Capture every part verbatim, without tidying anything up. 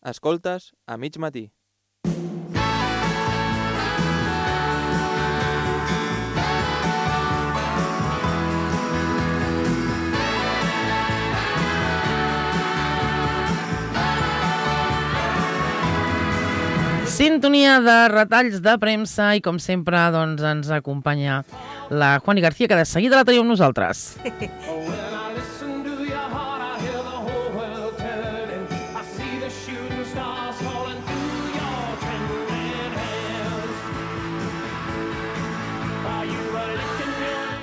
Escoltes a mig matí. Sintonia de retalls de premsa i, com sempre, doncs, ens acompanya la Juani García, que de seguida la tenim amb nosaltres.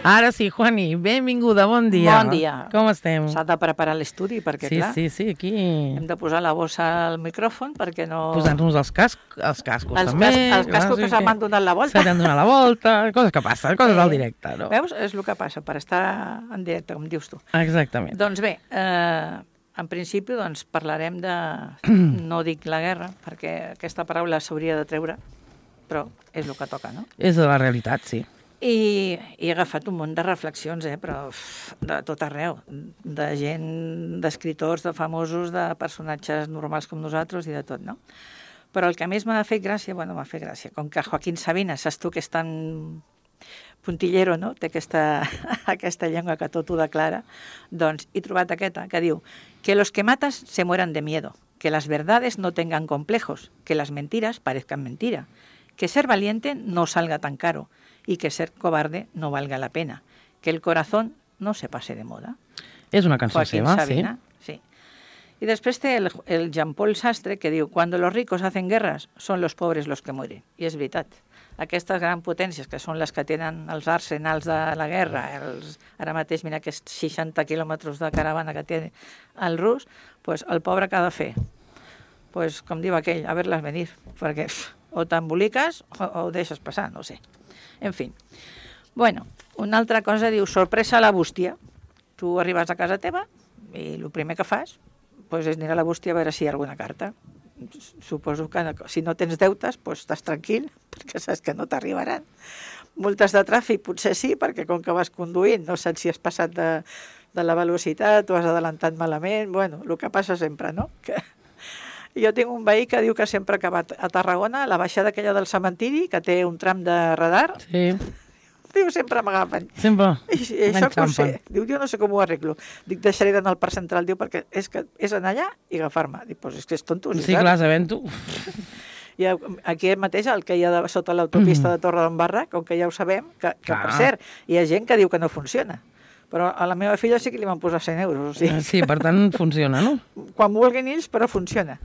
Ara sí, Juani, benvinguda, bon dia. Bon dia. Com estem? S'ha de preparar l'estudi perquè, sí, clar, sí, sí, aquí... hem de posar la bossa al micròfon perquè no... Posant-nos els, cas... els cascos els també. Cas... Els cascos clar, que sí, se m'han donat la volta. Se t'han donat la volta, coses que passen, coses del directe, no? Veus? És el que passa per estar en directe, com dius tu. Exactament. Doncs bé, eh, en principi doncs, parlarem de... no dic la guerra, perquè aquesta paraula s'hauria de treure, però és el que toca, no? És de la realitat, sí. I, i he agafat un munt de reflexions, eh, però uf, de tot arreu, de gent, d'escriptors, de famosos, de personatges normals com nosaltres i de tot, no? Però el que més m'ha fet gràcia, bueno, m'ha fet gràcia, com que Joaquín Sabina, saps tu que és tan puntillero, no? Té aquesta, aquesta llengua que tot ho declara, doncs he trobat aquesta, que diu que los que matas se mueran de miedo, que las verdades no tengan complejos, que las mentiras parezcan mentira, que ser valiente no salga tan caro, y que ser cobarde no valga la pena, que el corazón no se pase de moda. És una cançó Joaquín seva, Sabina, sí. sí. Y después té el, el Jean-Paul Sastre, que diu, cuando los ricos hacen guerras, son los pobres los que mueren. I és veritat. Aquestes grans potències, que són les que tenen els arsenals de la guerra, els, ara mateix, mira, aquests seixanta quilòmetres de caravana que té el rus, pues el pobre que ha de fer? Pues, com diu aquell, a ver-les venir, perquè pff, o t'emboliques o, o ho deixes passar, no sé. En fi. Bueno, una altra cosa diu, sorpresa a la bústia. Tu arribes a casa teva i el primer que fas pues, és anar a la bústia a veure si hi ha alguna carta. Suposo que si no tens deutes, pues, estàs tranquil, perquè saps que no t'arribaran. Multes de tràfic potser sí, perquè com que vas conduint no saps si has passat de, de la velocitat o has adelantat malament. Bueno, el que passa sempre, no? Que... Jo tinc un veí que diu que sempre que va a Tarragona, a la baixada aquella del cementiri, que té un tram de radar, sí. Diu, sempre m'agafen. Sempre I, i això que ho sé. Diu, jo no sé com ho arreglo. Dic, deixaré d'anar al parc central, diu, perquè és, que és anar allà i agafar-me. Dic, doncs és que és tonto. Sí, clar, sabent-ho. I aquí mateix, el que hi ha de, sota l'autopista de Torre d'en Barra, com que ja ho sabem, que, que per cert, hi ha gent que diu que no funciona. Però a la meva filla sí que li van posar cent euros. O sigui. Sí, per tant, funciona, no? Quan vulguin ells, però funciona.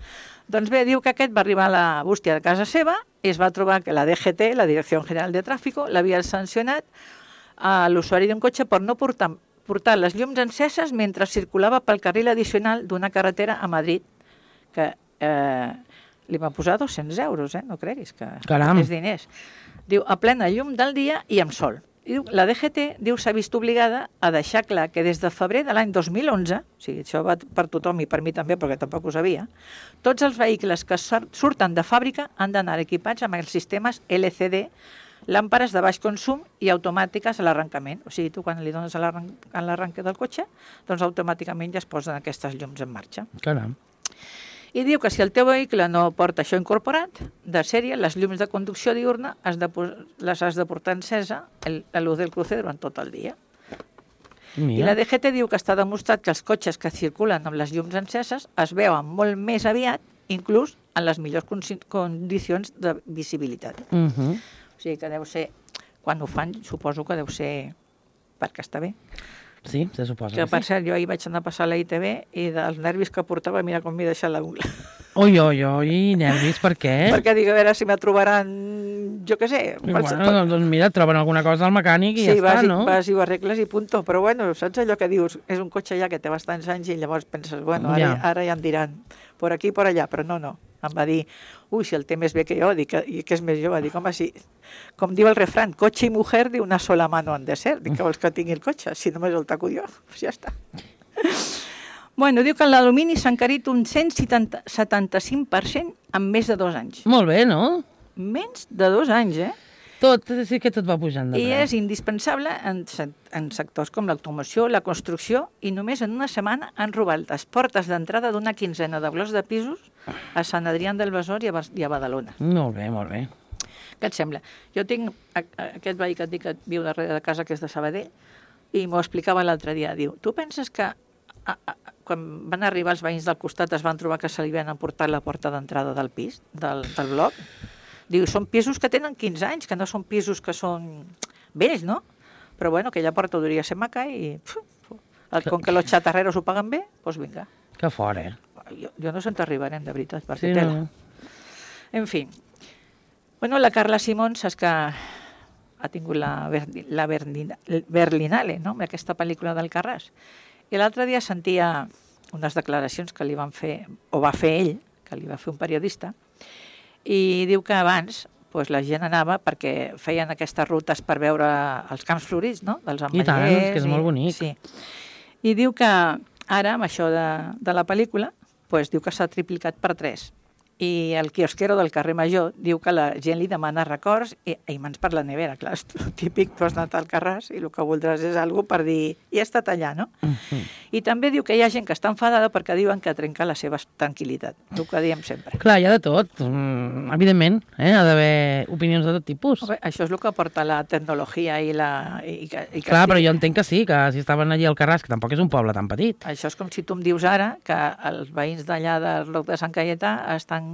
Doncs bé, diu que aquest va arribar a la bústia de casa seva i es va trobar que la D G T, la Direcció General de Tràfico, l'havia sancionat a l'usuari d'un cotxe per no portar, portar les llums enceses mentre circulava pel carril addicional d'una carretera a Madrid, que eh, li va posar dos-cents euros, eh? No creguis que Caram. és diners. Diu, a plena llum del dia i amb sol. Diu, la D G T diu s'ha vist obligada a deixar clar que des de febrer de l'any dos mil onze, o sigui, això va per tothom i per mi també, perquè tampoc ho sabia, tots els vehicles que surten de fàbrica han d'anar equipats amb els sistemes L C D, làmperes de baix consum i automàtiques a l'arrencament. O sigui, tu quan li dones a l'arrenque del cotxe, doncs automàticament ja es posen aquestes llums en marxa. Caram. I diu que si el teu vehicle no porta això incorporat, de sèrie, les llums de conducció diurna has de, les has de portar encesa el, la luz del cruce durant tot el dia. Mira. I la D G T diu que està demostrat que els cotxes que circulen amb les llums enceses es veuen molt més aviat, inclús en les millors condicions de visibilitat. Uh -huh. O sigui que deu ser, quan ho fan, suposo que deu ser perquè està bé. Sí, se suposa que, que per sí. cert, jo ahir vaig anar a passar a la I T V i dels nervis que portava, mira com m'he deixat la ungla. Ui, ui, ui, nervis, per què? Perquè dic, a veure si me trobaran, jo què sé. Bueno, qualsevol... doncs mira, troben alguna cosa al mecànic i sí, ja està, vas, no? Sí, vas i ho arregles i punto. Però bueno, saps allò que dius? És un cotxe ja que té bastants anys i llavors penses, bueno, ara ja, ara ja em diran por aquí, por allà, però no, no. Em va dir, ui, si el té més bé que jo, dic, i que és més jove, dic, home, si, com diu el refrán, cotxe i mujer de una sola mano han de ser, dic, que vols que tingui el cotxe, si només el taco jo, pues ja està. Bueno, diu que l'alumini s'ha encarit un cent setanta-cinc per cent en més de dos anys. Molt bé, no? Menys de dos anys, eh? Tot, sí que tot va pujant de preu. I és indispensable en, en sectors com l'automoció, la construcció, i només en una setmana han robat les portes d'entrada d'una quinzena de blocs de pisos a Sant Adrià del Besòs i a, Bar- i a Badalona. Molt bé, molt bé. Què et sembla? Jo tinc a, a, aquest veí que et dic que viu darrere de casa, que és de Sabadell, i m'ho explicava l'altre dia. Diu, tu penses que a, a, quan van arribar els veïns del costat es van trobar que se li havien emportat la porta d'entrada del pis, del, del bloc? Diu, són pisos que tenen quinze anys, que no són pisos que són vells, no? Però bueno, aquella porta hauria ser maca i... El, com que los chatarreros ho paguen bé, doncs vinga. Que fort, eh? Jo, jo no sé on t'arribarem, de veritat, per Sí, fer tela. no. En fi. Bueno, la Carla Simón, saps que ha tingut la, Berli, la Berlina, Berlinale, no?, amb aquesta pel·lícula del Carràs. I l'altre dia sentia unes declaracions que li van fer, o va fer ell, que li va fer un periodista, i diu que abans pues, la gent anava perquè feien aquestes rutes per veure els camps florits, no?, dels I tant, ametllers. que és molt bonic. Sí. I diu que ara, amb això de, de la pel·lícula, pues, diu que s'ha triplicat per tres. I el quiosquero del carrer Major diu que la gent li demana records i, i mans per la nevera. Clar, és típic, tu has anat al Carràs i el que voldràs és alguna per dir i he estat allà, no? Uh-huh. I també diu que hi ha gent que està enfadada perquè diuen que trenca la seva tranquil·litat. El que diem sempre. Clar, hi ha de tot. Mm, evidentment, eh? Ha d'haver opinions de tot tipus. Bé, això és el que porta la tecnologia i la... I, que, i que Clar, estic... però jo entenc que sí, que si estaven allí al Carràs, que tampoc és un poble tan petit. Això és com si tu em dius ara que els veïns d'allà del Roc de Sant Caietà estan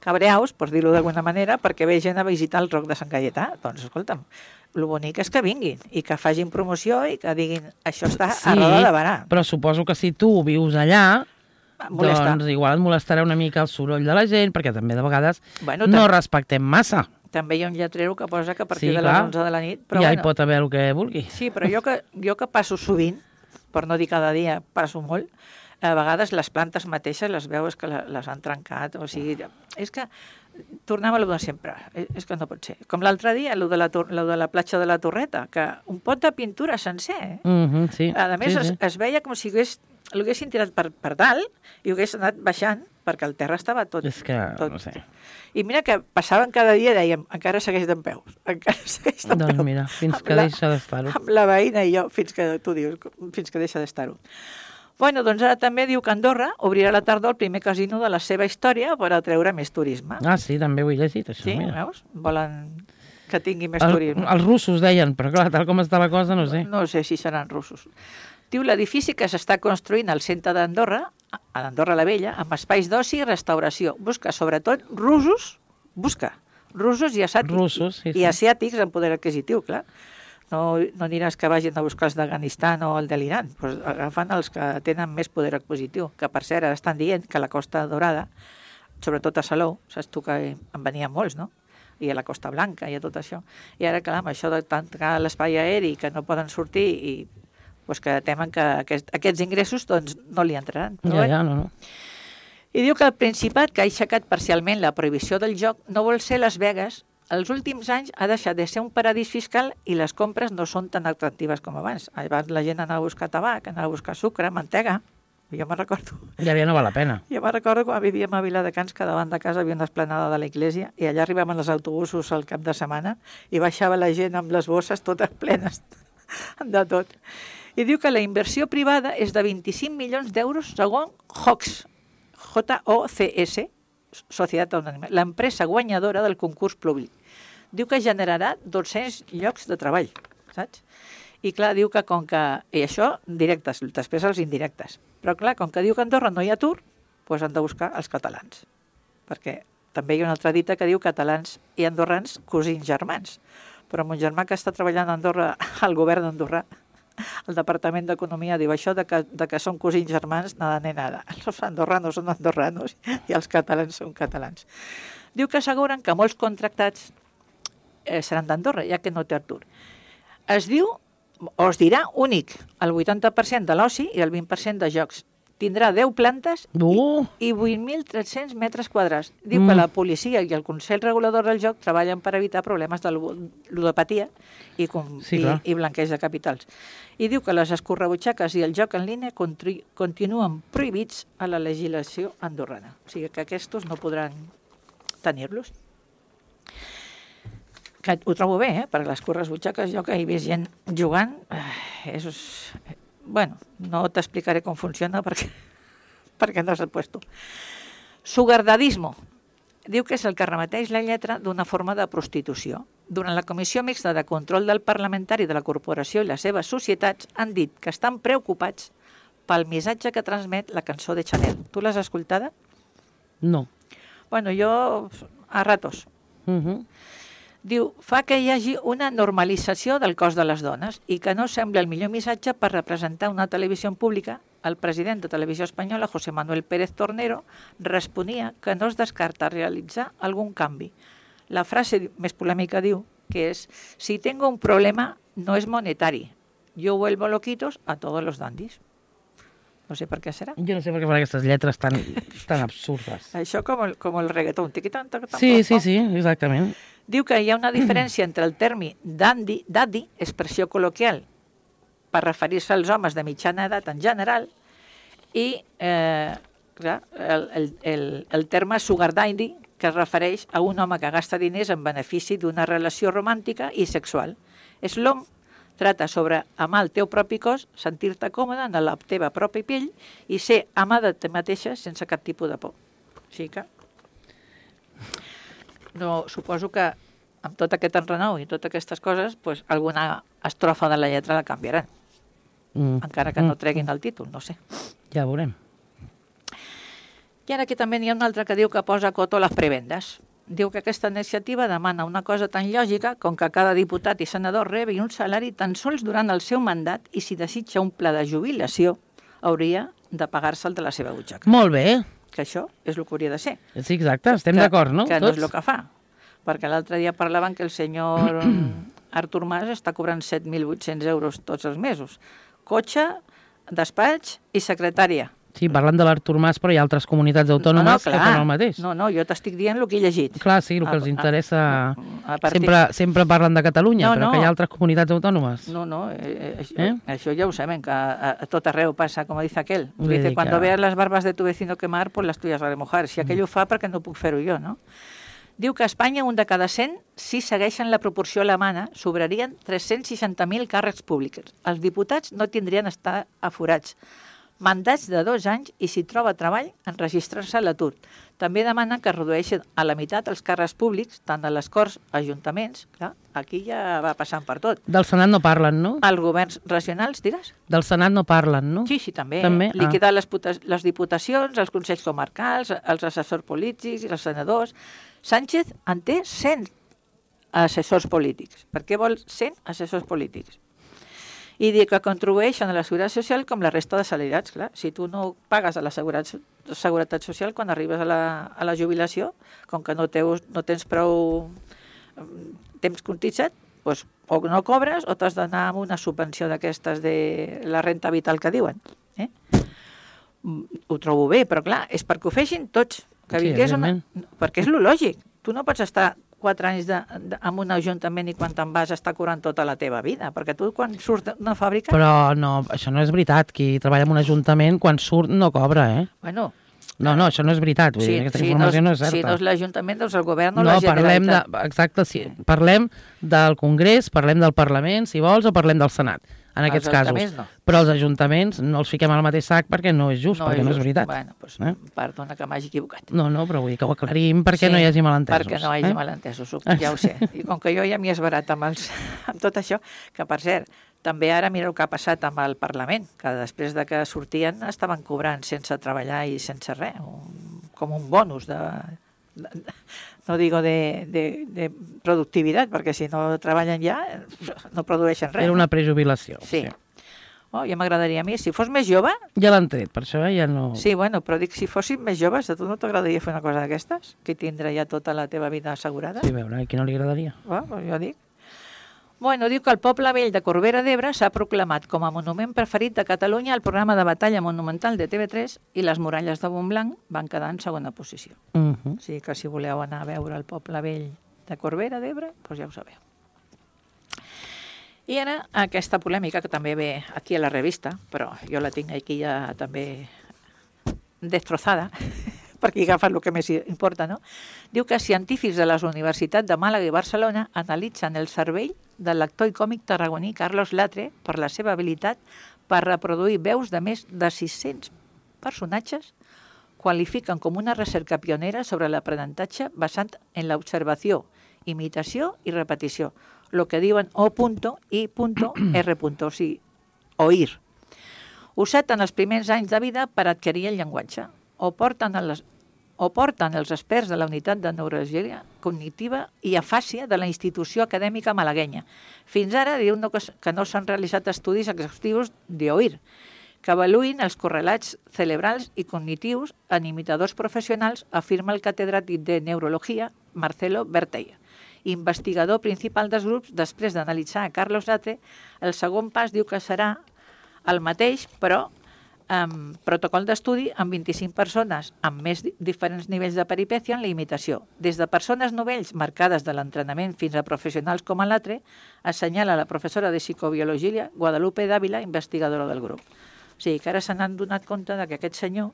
cabreaus, per dir-ho d'alguna manera, perquè ve gent a visitar el Roc de Sant Caietà. Doncs, escolta'm, el bonic és que vinguin i que facin promoció i que diguin això està Sí, a roda de barà. però suposo que si tu vius allà, Molesta. doncs igual et molestarà una mica el soroll de la gent, perquè també de vegades Bueno, no tam- respectem massa. També hi ha un lletrero que posa que a partir Sí, de clar. les onze de la nit... Però Ja bueno, hi pot haver el que vulgui. Sí, però jo que, jo que passo sovint, per no dir cada dia, passo molt, a vegades les plantes mateixes les veus que la- les han trencat, o sigui, és que tornem a lo de sempre, és, és que no pot ser. Com l'altre dia, lo de, la, tor- lo de la platja de la Torreta, que un pot de pintura sencer, eh? Mm-hmm, sí. A més, sí, es, sí. es veia com si hagués, l'haguessin tirat per, per dalt i ho hagués anat baixant, perquè el terra estava tot... És que, tot. no sé. I mira que passaven cada dia i dèiem, encara segueix d'en peus, encara segueix d'en Doncs peus. mira, fins Amb que la- deixa d'estar-ho. Amb la veïna i jo, fins que tu dius, fins que deixa d'estar-ho. Bueno, doncs ara també diu que Andorra obrirà a la tarda el primer casino de la seva història per atreure més turisme. Ah, sí, també ho he llegit, això, sí, mira. veus? Volen que tingui més El, turisme. els russos deien, però clar, tal com està la cosa, no sé. No sé si seran russos. Diu l'edifici que s'està construint al centre d'Andorra, a l'Andorra la Vella, amb espais d'oci i restauració. Busca, sobretot, russos, busca, russos i asiàtics. Russos, sí, sí. I asiàtics amb poder adquisitiu, clar. No, no aniràs que vagin a buscar els d'Afganistan o el de l'Iran, pues agafen els que tenen més poder adquisitiu, que per cert ara estan dient que la Costa Dorada, sobretot a Salou, saps tu que en venien molts, no? I a la Costa Blanca i a tot això. I ara, clar, amb això de tancar l'espai aeri, que no poden sortir i pues, que temen que aquest, aquests ingressos doncs, no li entraran. Però Ja, bé. ja, no, no. I diu que el Principat, que ha aixecat parcialment la prohibició del joc, no vol ser Las Vegas. Els últims anys ha deixat de ser un paradís fiscal i les compres no són tan atractives com abans. Abans la gent anava a buscar tabac, anava a buscar sucre, mantega. Jo me'n recordo. Ja, ja no val la pena. Jo me'n recordo quan vivíem a Viladecans que davant de casa havia una esplanada de la iglesia i allà arribaven els autobusos al cap de setmana i baixava la gent amb les bosses totes plenes de tot. I diu que la inversió privada és de vint-i-cinc milions d'euros segons Hocs, J O C S, Societat Anònima, l'empresa guanyadora del concurs públic. Diu que generarà dos-cents llocs de treball, saps? I clar, diu que com que... I això, directes, després els indirectes. Però clar, com que diu que a Andorra no hi ha atur, doncs han de buscar els catalans. Perquè també hi ha una altra dita que diu catalans i andorrans, cosins germans. Però mon germà que està treballant a Andorra, al govern d'Andorra, el Departament d'Economia diu això de que, de que són cosins germans, nada ni nada. Els andorranos són andorranos i els catalans són catalans. Diu que asseguren que molts contractats eh, seran d'Andorra, ja que no té atur. Es diu, o es dirà, únic, el vuitanta per cent de l'oci i el vint per cent de jocs. Tindrà deu plantes Uh! i, i vuit mil tres-cents metres quadrats. Diu Mm. que la policia i el Consell Regulador del Joc treballen per evitar problemes de lu- ludopatia i, com, Sí, i, clar. i blanqueig de capitals. I diu que les escorrebutxaques i el joc en línia contri- continuen prohibits a la legislació andorrana. O sigui que aquests no podran tenir-los. Que ho trobo bé, eh? Perquè les correbutxaques, jo que he vist gent jugant, eh, és... Bueno, no t'explicaré com funciona perquè, perquè no s'ha puesto. Sugardadismo. Diu que és el que remeteix la lletra d'una forma de prostitució. Durant la Comissió Mixta de Control del Parlamentari de la Corporació i les seves societats han dit que estan preocupats pel missatge que transmet la cançó de Chanel. Tu l'has escoltada? No. Bueno, jo a ratos. Uh -huh. Diu, fa que hi hagi una normalització del cos de les dones i que no sembla el millor missatge per representar una televisió pública. El president de Televisió Espanyola, José Manuel Pérez Tornero, responia que no es descarta realitzar algun canvi. La frase més polèmica diu que és: si tengo un problema no es monetari, yo vuelvo loquitos a todos los dandis. No sé per què serà. Jo no sé per què fan aquestes lletres tan, tan absurdes. Això com el, com el reggaeton. Tiquitan, tiquitan, Sí, sí, sí, exactament. Diu que hi ha una diferència entre el terme dandy, daddy, expressió col·loquial, per referir-se als homes de mitjana edat en general, i eh, clar, el, el, el, el terme sugar daddy, que es refereix a un home que gasta diners en benefici d'una relació romàntica i sexual. Slom trata sobre amar el teu propi cos, sentir-te còmode en la teva pròpia pell i ser ama de te mateixa sense cap tipus de por. Així que no, suposo que amb tot aquest enrenou i totes aquestes coses, pues, alguna estrofa de la lletra la canviaran. Mm. Encara que no treguin el títol, no sé. Ja veurem. I ara aquí també n'hi ha un altre que diu que posa coto a les prebendes. Diu que aquesta iniciativa demana una cosa tan lògica com que cada diputat i senador rebi un salari tan sols durant el seu mandat i si desitja un pla de jubilació hauria de pagar-se'l de la seva butxaca. Molt bé. Que això és el que hauria de ser. Sí, exacte, estem d'acord, no? Que no és el que fa. Perquè l'altre dia parlaven que el senyor Artur Mas està cobrant set mil vuit-cents euros tots els mesos. Cotxe, despatx i secretària. Sí, parlant de l'Artur Mas, però hi ha altres comunitats autònomes no, no, clar, que fan el mateix. No, no, jo t'estic dient el que he llegit. Clar, sí, el que els interessa... A, a, a partir... sempre, sempre parlen de Catalunya, no, però no. que hi ha altres comunitats autònomes. No, no, eh, això, ¿Eh? això ja ho sabem, que a, a tot arreu passa, com dice aquel. Vull Dice, dir cuando que- veas las barbas de tu vecino quemar, pues las tuyas has de mojar. Si aquell ho fa, perquè no puc fer-ho jo, no? Diu que a Espanya un de cada cent, si segueixen la proporció alemana, sobrarien tres-cents seixanta mil càrrecs públics. Els diputats no tindrien estar aforats. Mandats de dos anys i si troba treball, enregistrar-se a l'atur. També demanen que es redueixin a la meitat els càrrecs públics, tant a les Corts, ajuntaments, clar, aquí ja va passant per tot. Del Senat no parlen, no? Els governs regionals, diràs? Del Senat no parlen, no? Sí, sí, també. També? Ah. Liquidar les, puta- les diputacions, els consells comarcals, els assessors polítics i els senadors. Sánchez en té cent assessors polítics. Per què vol cent assessors polítics? I dir que contribueixen a la seguretat social com la resta de salariats. Clar, si tu no pagues a la seguretat, seguretat social quan arribes a la, a la jubilació, com que no, teus, no tens prou mm, temps cotitzat, doncs, o no cobres o t'has d'anar amb una subvenció d'aquestes de la renta vital que diuen. Eh? Mm, Ho trobo bé, però clar, és perquè ho feixin tots. Que Sí, vingués una... evidentment. Perquè és lo lògic. Tu no pots estar quatre anys de, de, en un ajuntament i quan te'n vas està cobrant tota la teva vida, perquè tu quan surts d'una fàbrica... Però no, això no és veritat. Qui treballa en un ajuntament, quan surt, no cobra, eh? Bueno, No, no, això no és veritat. Vull dir, aquesta informació no és certa. Si no és l'Ajuntament, doncs el govern o no, la parlem de, Generalitat. exacte, sí, parlem del Congrés, parlem del Parlament, si vols, o parlem del Senat, en Els aquests casos. ajuntaments no. Però els ajuntaments no els fiquem al mateix sac perquè no és just, perquè no és just. veritat. Bueno, doncs, Eh? perdona que m'hagi equivocat. No, no, però vull dir que ho aclarim perquè no hi hagi malentesos. Perquè no hi hagi eh? malentesos, ho- ja ho sé. I com que jo ja m'hi he esbarat amb, els, amb tot això, que per cert, també ara mira el que ha passat amb el Parlament, que després de que sortien estaven cobrant sense treballar i sense res, un, com un bonus de, de, de no digo de, de, de productivitat, perquè si no treballen ja no produeixen res. Era una prejubilació. Sí. Oh, ja m'agradaria a mi, si fos més jove, Ja l'han tret, per això ja no... sí, bueno, però dic, si fossin més joves, a tu no t'agradaria fer una cosa d'aquestes? Que tindre ja tota la teva vida assegurada? Sí, a veure, a qui no li agradaria? Oh, doncs jo dic. Bueno, diu que el Poble Vell de Corbera d'Ebre s'ha proclamat com a monument preferit de Catalunya al programa de batalla monumental de T V tres i les muralles de Montblanc van quedar en segona posició. Uh -huh. O sigui que si voleu anar a veure el Poble Vell de Corbera d'Ebre, doncs ja ho sabeu. I ara aquesta polèmica que també ve aquí a la revista, però jo la tinc aquí ja també destrozada, perquè agafen el que més importa, no? Diu que científics de les universitats de Màlaga i Barcelona analitzen el cervell del lector i còmic tarragoní Carlos Latre per la seva habilitat per reproduir veus de més de sis-cents personatges qualifiquen com una recerca pionera sobre l'aprenentatge basant en l'observació, imitació i repetició, el que diuen O i R, o sigui, oir. Usat en els primers anys de vida per adquirir el llenguatge, o porten, les, o porten els experts de la unitat de neurologia cognitiva i afàsia de la institució acadèmica malaguenya. Fins ara diu no, que no s'han realitzat estudis exhaustius d'oir, que avaluïn els correlats cerebrals i cognitius en imitadors professionals, afirma el catedràtic de Neurologia, Marcelo Bertell. Investigador principal dels grups, després d'analitzar a Carlos Latre, el segon pas diu que serà el mateix, però amb protocol d'estudi amb vint-i-cinc persones amb més diferents nivells de peripècia en la imitació. Des de persones novells marcades de l'entrenament fins a professionals com a Latre, assenyala la professora de psicobiologia Guadalupe Dávila, investigadora del grup. O sigui, que ara se n'han donat compte de que aquest senyor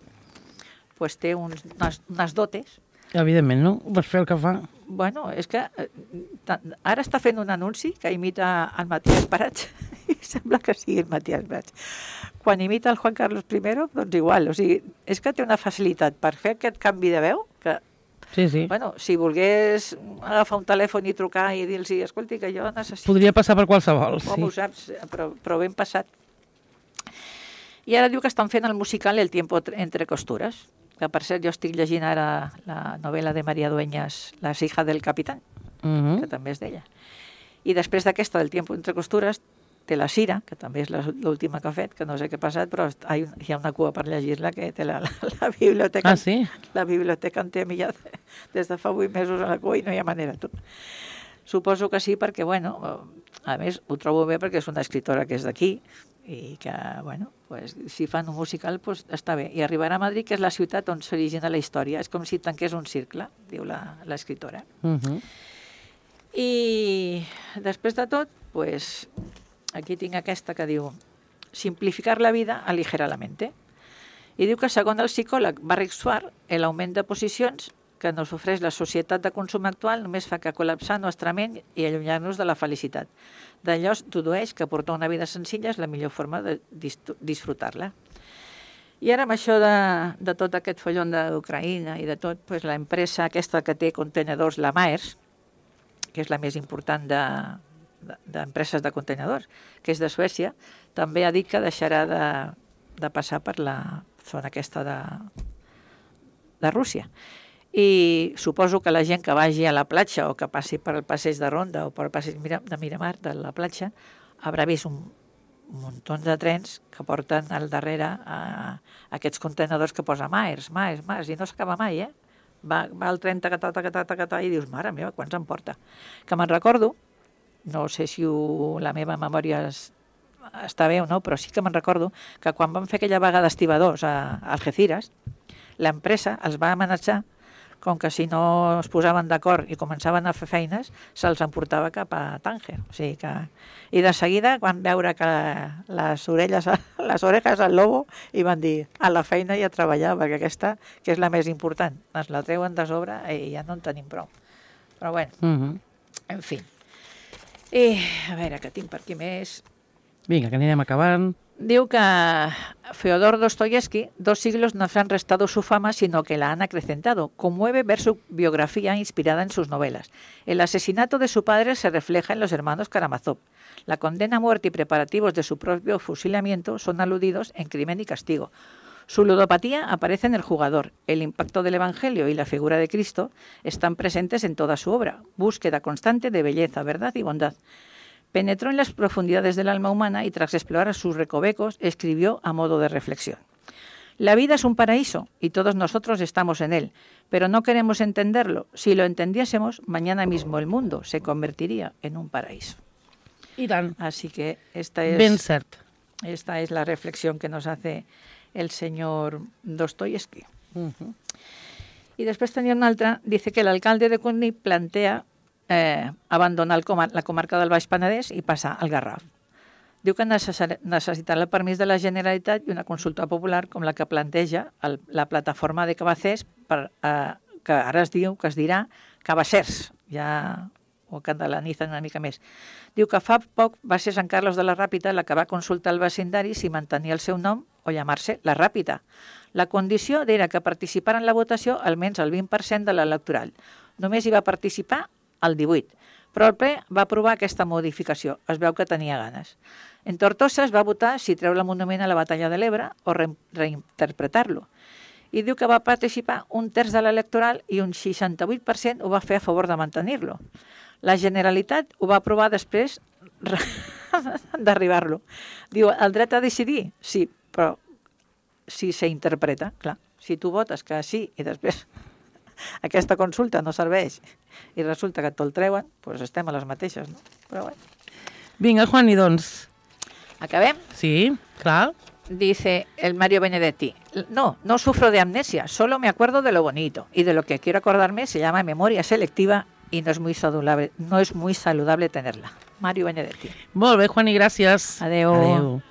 pues, té uns, unes, unes dotes. Evidentment, no? Vas fer el que fa. Bueno, és que eh, ara està fent un anunci que imita el Matías Prats i sembla que sigui el Matías Prats. Quan imita el Juan Carlos I, doncs igual. O sigui, és que té una facilitat per fer aquest canvi de veu que, sí, sí. Bueno, si volgués agafar un telèfon i trucar i dir-los, escolti, que jo necessito... Podria passar per qualsevol, Com sí. ho saps, però, però ben passat. I ara diu que estan fent el musical El tiempo entre costures, que per cert jo estic llegint ara la novel·la de María Dueñas, Las hijas del capitán, uh -huh. que també és d'ella. I després d'aquesta del tiempo entre costures té La Sira, que també és l'última que ha fet, que no sé què ha passat, però hi ha una cua per llegir-la que té la, la, la biblioteca. Ah, sí? La biblioteca en té millor des de fa vuit mesos a la cua i no hi ha manera. Tot. Suposo que sí, perquè, bueno, a més, ho trobo bé perquè és una escritora que és d'aquí, i que, bueno, pues, si fan un musical, pues, està bé. I arribarà a Madrid, que és la ciutat on s'origina la història. És com si tanqués un cercle, diu l'escriptora. Uh -huh. I després de tot, pues, aquí tinc aquesta que diu simplificar la vida aligera la mente. I diu que, segons el psicòleg Barrick Suar, l'augment de posicions que nos ofereix la societat de consum actual només fa que col·lapsar nostra ment i allunyar-nos de la felicitat. D'allò es dedueix que portar una vida senzilla és la millor forma de disfrutar-la. I ara amb això de, de tot aquest follon d'Ucraïna i de tot, pues, l'empresa aquesta que té contenedors, la Maersk, que és la més important d'empreses de, de, de contenedors, que és de Suècia, també ha dit que deixarà de, de passar per la zona aquesta de, de Rússia. I suposo que la gent que vagi a la platja o que passi per el passeig de Ronda o per el passeig de Miramar de la platja haurà vist un, un muntó de trens que porten al darrere a, a aquests contenedors que posa Maersk, Maersk, Maersk, i no s'acaba mai, eh? Va, va el tren, tacatà, tacatà, tacatà, i dius, mare meva, quants em porta? Que me'n recordo, no sé si ho, la meva memòria és, està bé o no, però sí que me'n recordo que quan van fer aquella vaga d'estibadors a Algeciras, l'empresa els va amenaçar com que si no es posaven d'acord i començaven a fer feines, se'ls emportava cap a Tànger. O sigui que... I de seguida van veure que les orelles, les orejas al lobo i van dir a la feina i a treballar, perquè aquesta, que és la més important, ens la treuen de sobre i ja no en tenim prou. Però bueno, uh -huh. en fi. I a veure, què tinc per aquí més? Vinga, que anirem acabant. Diu que Fyodor Dostoyevsky, dos siglos no se han restado su fama, sino que la han acrecentado. Conmueve ver su biografía inspirada en sus novelas. El asesinato de su padre se refleja en los hermanos Karamazov. La condena a muerte y preparativos de su propio fusilamiento son aludidos en Crimen y Castigo. Su ludopatía aparece en El jugador. El impacto del Evangelio y la figura de Cristo están presentes en toda su obra. Búsqueda constante de belleza, verdad y bondad. Penetró en las profundidades del alma humana y tras explorar sus recovecos escribió a modo de reflexión. La vida es un paraíso y todos nosotros estamos en él, pero no queremos entenderlo. Si lo entendiésemos, mañana mismo el mundo se convertiría en un paraíso. I tant. Así que esta es, ben cert. Esta es la reflexión que nos hace el señor Dostoyevsky. Uh-huh. Y después tenía una altra, dice que el alcalde de Cunit plantea Eh, abandonar el comar la comarca del Baix Penedès i passar al Garraf. Diu que necessitarà el permís de la Generalitat i una consulta popular com la que planteja el, la plataforma de Cabacés, per, eh, que ara es diu, que es dirà Cabassers, ja ho catalanitzen una mica més. Diu que fa poc va ser Sant Carlos de la Ràpita la que va consultar el vecindaris si mantenir el seu nom o llamar-se la Ràpida. La condició era que participara en la votació almenys el vint per cent de l'electoral. Només hi va participar el divuit, però el ple va aprovar aquesta modificació. Es veu que tenia ganes. En Tortosa es va votar si treure el monument a la batalla de l'Ebre o re reinterpretar-lo. I diu que va participar un terç de l'electoral i un seixanta-vuit per cent ho va fer a favor de mantenir-lo. La Generalitat ho va aprovar després d'arribar-lo. Diu, el dret a decidir? Sí, però si s'interpreta, clar. Si tu votes que sí i després aquesta consulta no serveix i resulta que te'l treuen, doncs estem a les mateixes, no? Però bé. Vinga, Juani, doncs. Acabem? Sí, clar. Dice el Mario Benedetti, no, no sufro de amnesia, solo me acuerdo de lo bonito y de lo que quiero acordarme se llama memoria selectiva y no es muy saludable, no es muy saludable tenerla. Mario Benedetti. Molt bé, Juani, gràcies. Adeu. Adeu.